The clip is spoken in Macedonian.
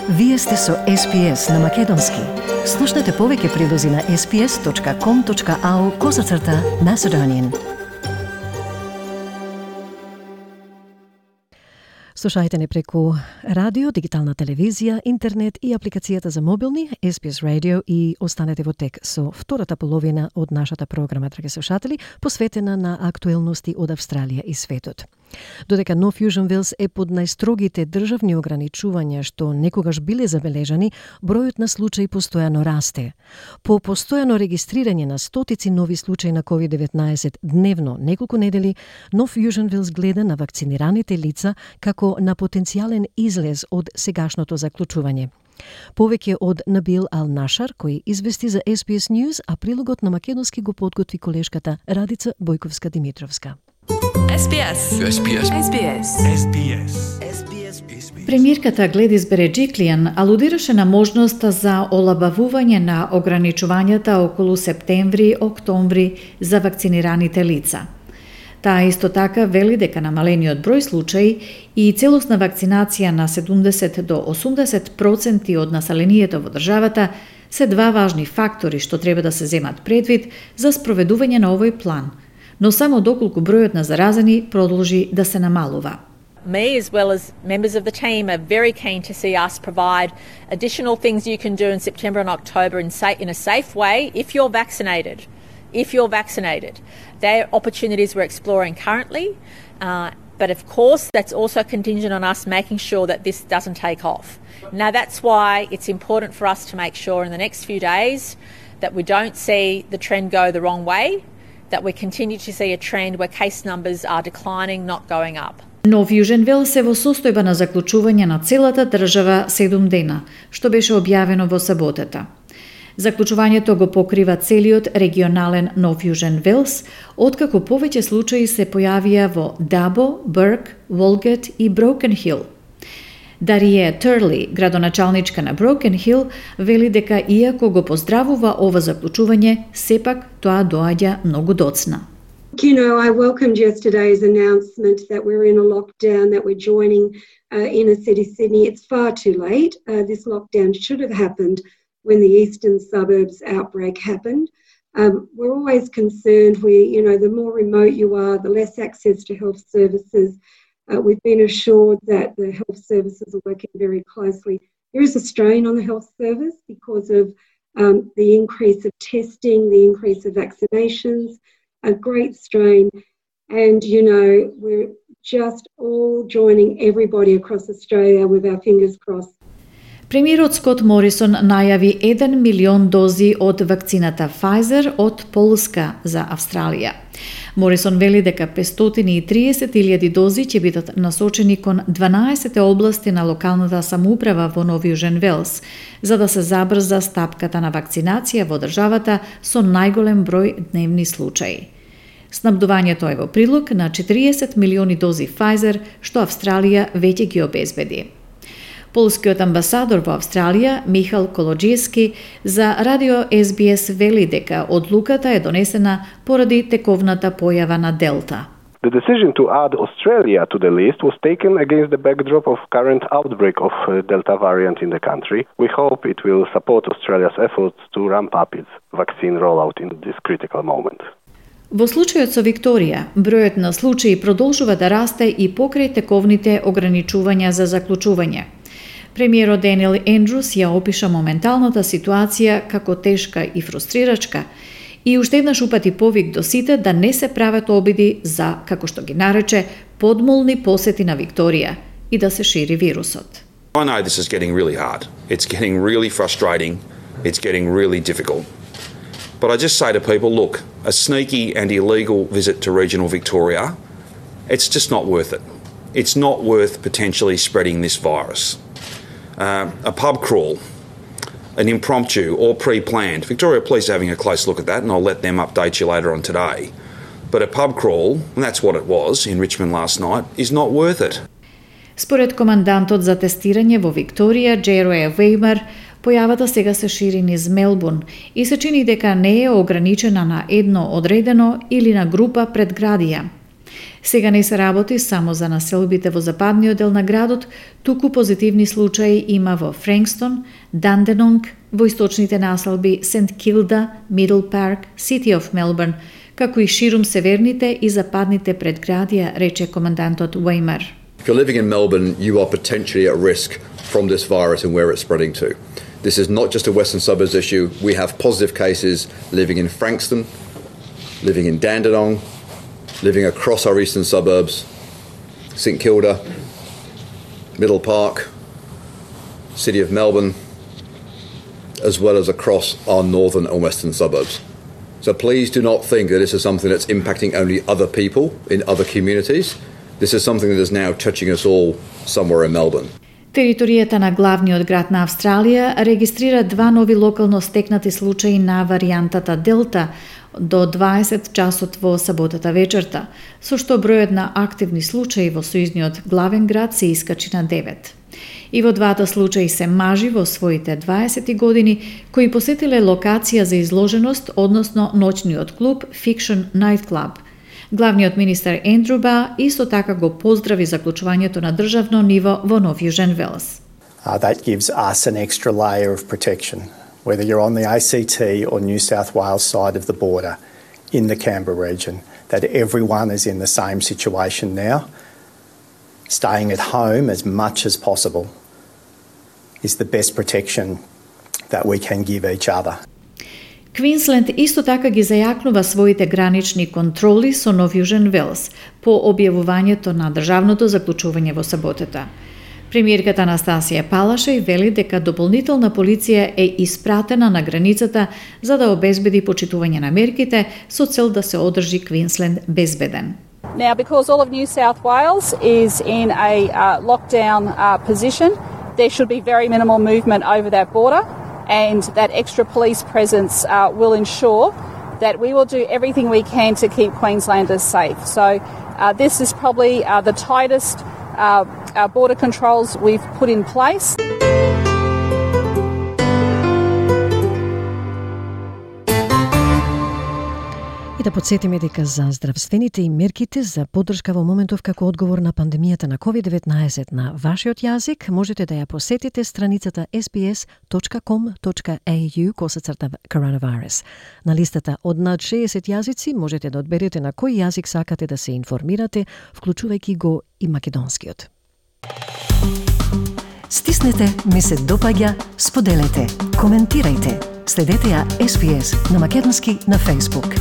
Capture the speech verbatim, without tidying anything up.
Вие сте со Ес Би Ес на Македонски. Слушнете повеќе прилози на ес би ес точка ком точка ау козацрта Macedonian. Слушајте не преку радио, дигитална телевизија, интернет и апликацијата за мобилни Ес Би Ес Radio и останете во тек со втората половина од нашата програма, драги слушатели, посветена на актуелности од Австралија и светот. Додека Нов Јужен Велс е под најстрогите државни ограничувања што некогаш биле забележани, бројот на случаи постојано расте. По постојано регистрирање на стотици нови случаи на ковид деветнаесет дневно неколку недели, Нов Јужен Велс гледа на вакцинираните лица како на потенцијален излез од сегашното заклучување. Повеќе од Набил Ал-Нашар, кој извести за Ес Би Ес News, а прилогот на македонски го подготви колешката Радица Бојковска-Димитровска. Ес Би Ес. Ес Би Ес. Ес Би Ес. Ес Би Ес. Премиерката Гледис Береджиклијан алудираше на можноста за олабавување на ограничувањата околу септември-октомври за вакцинираните лица. Таа исто така вели дека намалениот број случаи и целосна вакцинација на седумдесет до осумдесет проценти од населението во државата се два важни фактори што треба да се земат предвид за спроведување на овој план, но само доколку бројот на заразени продолжи да се намалува. Me, as well as members of the team, are very keen to see us provide additional things you can do in September and October in, sa- in a safe way if you're vaccinated. If you're vaccinated. They're opportunities we're exploring currently, uh, but of course that's also contingent on us making sure that this doesn't take off. Now that's why it's important for us to make sure in the next few days that we don't see the trend go the wrong way, that we continue to see a trend where case numbers are declining, not going up. Нов Јужен Велс е во состојба на заклучување на целата држава седум дена, што беше објавено во саботата. Заклучувањето го покрива целиот регионален Нов Јужен Велс, откако повеќе случаи се појавија во Дабо, Бърк, Волгет и Броукен Хил. Дарие Турли, градоначалничка на Броукен Хил, вели дека иако го поздравува ова заклучување, сепак тоа доаѓа многу доцна. You know, I welcomed yesterday's announcement that we're in a lockdown, that we're joining uh, inner city Sydney. It's far too late. Uh, this lockdown should have happened when the eastern suburbs outbreak happened. Um, we're always concerned, we, you know, the more remote you are, the less access to health services. Uh, we've been assured that the health services are working very closely. There is a strain on the health service because of um, the increase of testing, the increase of vaccinations, a great strain. And, you know, we're just all joining everybody across Australia with our fingers crossed. Премиерот Скот Морисон најави еден милион дози од вакцината Pfizer од Полска за Австралија. Морисон вели дека петстотини и триесет илјади дози ќе бидат насочени кон дванаесет области на локалната самоуправа во Нов Јужен Велс, за да се забрза стапката на вакцинација во државата со најголем број дневни случаи. Снабдувањето е во прилог на четириесет милиони дози Pfizer, што Австралија веќе ги обезбеди. Полскиот амбасадор во Австралија, Михал Колоджиски, за радио Ес Би Ес вели дека одлуката е донесена поради тековната појава на Делта. The decision to add Australia to the list was taken against the backdrop of current outbreak of uh, Delta variant in the country. We hope it will support Australia's efforts to ramp up its vaccine rollout in this critical moment. Во случајот со Викторија, бројот на случаи продолжува да расте и покрај тековните ограничувања за заклучување. Премиерот Даниел Ендрус ја опиша моменталната ситуација како тешка и фрустрирачка и уште еднаш упати повик до сите да не се прават обиди за, како што ги нарече, подмолни посети на Викторија и да се шири вирусот. I know this is getting really hard. It's getting really frustrating. It's getting really difficult. But I just say to people, look, a sneaky and illegal visit to regional Victoria, it's just not worth it. It's not worth potentially spreading this virus. Uh, a pub crawl, an impromptu or pre-planned. Victoria Police are having a close look at that, and I'll let them update you later on today. But a pub crawl, and that's what it was in Richmond last night, is not worth it. Според командантот за тестирање во Викторија, Джероја Веймар, појавата сега се шири низ Мелбурн и се чини дека не е ограничена на едно одредено или на група предградија. Сега не се работи само за населбите во западниот дел на градот, туку позитивни случаи има во Франкстон, Данденонг, во источните населби Сент Килда, Мидл Парк, Сити оф Мелбурн, како и ширум северните и западните предградија, рече командантот Уеймар. If you're living in Melbourne, you are potentially at risk from this virus and where it's spreading to. This is not just a Western Suburbs issue. We have positive cases living in Frankston, living in Dandenong, living across our eastern suburbs, St Kilda, Middle Park, City of Melbourne, as well as across our northern and western suburbs. So please do not think that this is something that's impacting only other people in other communities. This is something that is now touching us all somewhere in Melbourne. Територијата на главниот град на Австралија регистрира два нови локално стекнати случаи на варијантата Делта до дваесет часот во саботата вечерта, со што бројот на активни случаи во сојузниот главен град се искачи на девет. И во двата случаи се мажи во своите дваесет години кои посетиле локација за изложеност, односно ноќниот клуб Fiction Night Club. Главниот министер Ендрю Ба исто така го поздрави заклучувањето на државно ниво во Нов Јужен Велс. Uh, that gives us an extra layer of protection, whether you're on the A C T or New South Wales side of the border in the Canberra region, that everyone is in the same situation now. Staying at home as much as possible is the best protection that we can give each other. Квинсленд исто така ги зајакнува своите гранични контроли со Нов Јужен Велс по објавувањето на државното заклучување во саботата. Премиерката Анастасија Палашеј вели дека дополнителна полиција е испратена на границата за да обезбеди почитување на мерките со цел да се одржи Квинсленд безбеден. Now, because all of New South Wales is in a uh, lockdown uh, position, there should be very minimal movement over that border. And that extra police presence uh, will ensure that we will do everything we can to keep Queenslanders safe. So uh, this is probably uh, the tightest uh, uh, border controls we've put in place. Да подсетиме дека за здравствените и мерките за поддршка во моментов како одговор на пандемијата на ковид деветнаесет на вашиот јазик, можете да ја посетите страницата ес би ес точка ком точка ей ю косацрта coronavirus. На листата од над шеесет јазици можете да одберете на кој јазик сакате да се информирате, вклучувајќи го и македонскиот. Стиснете, ми се допаѓа, споделете, коментирајте. Следете ја ес би ес на македонски на Facebook.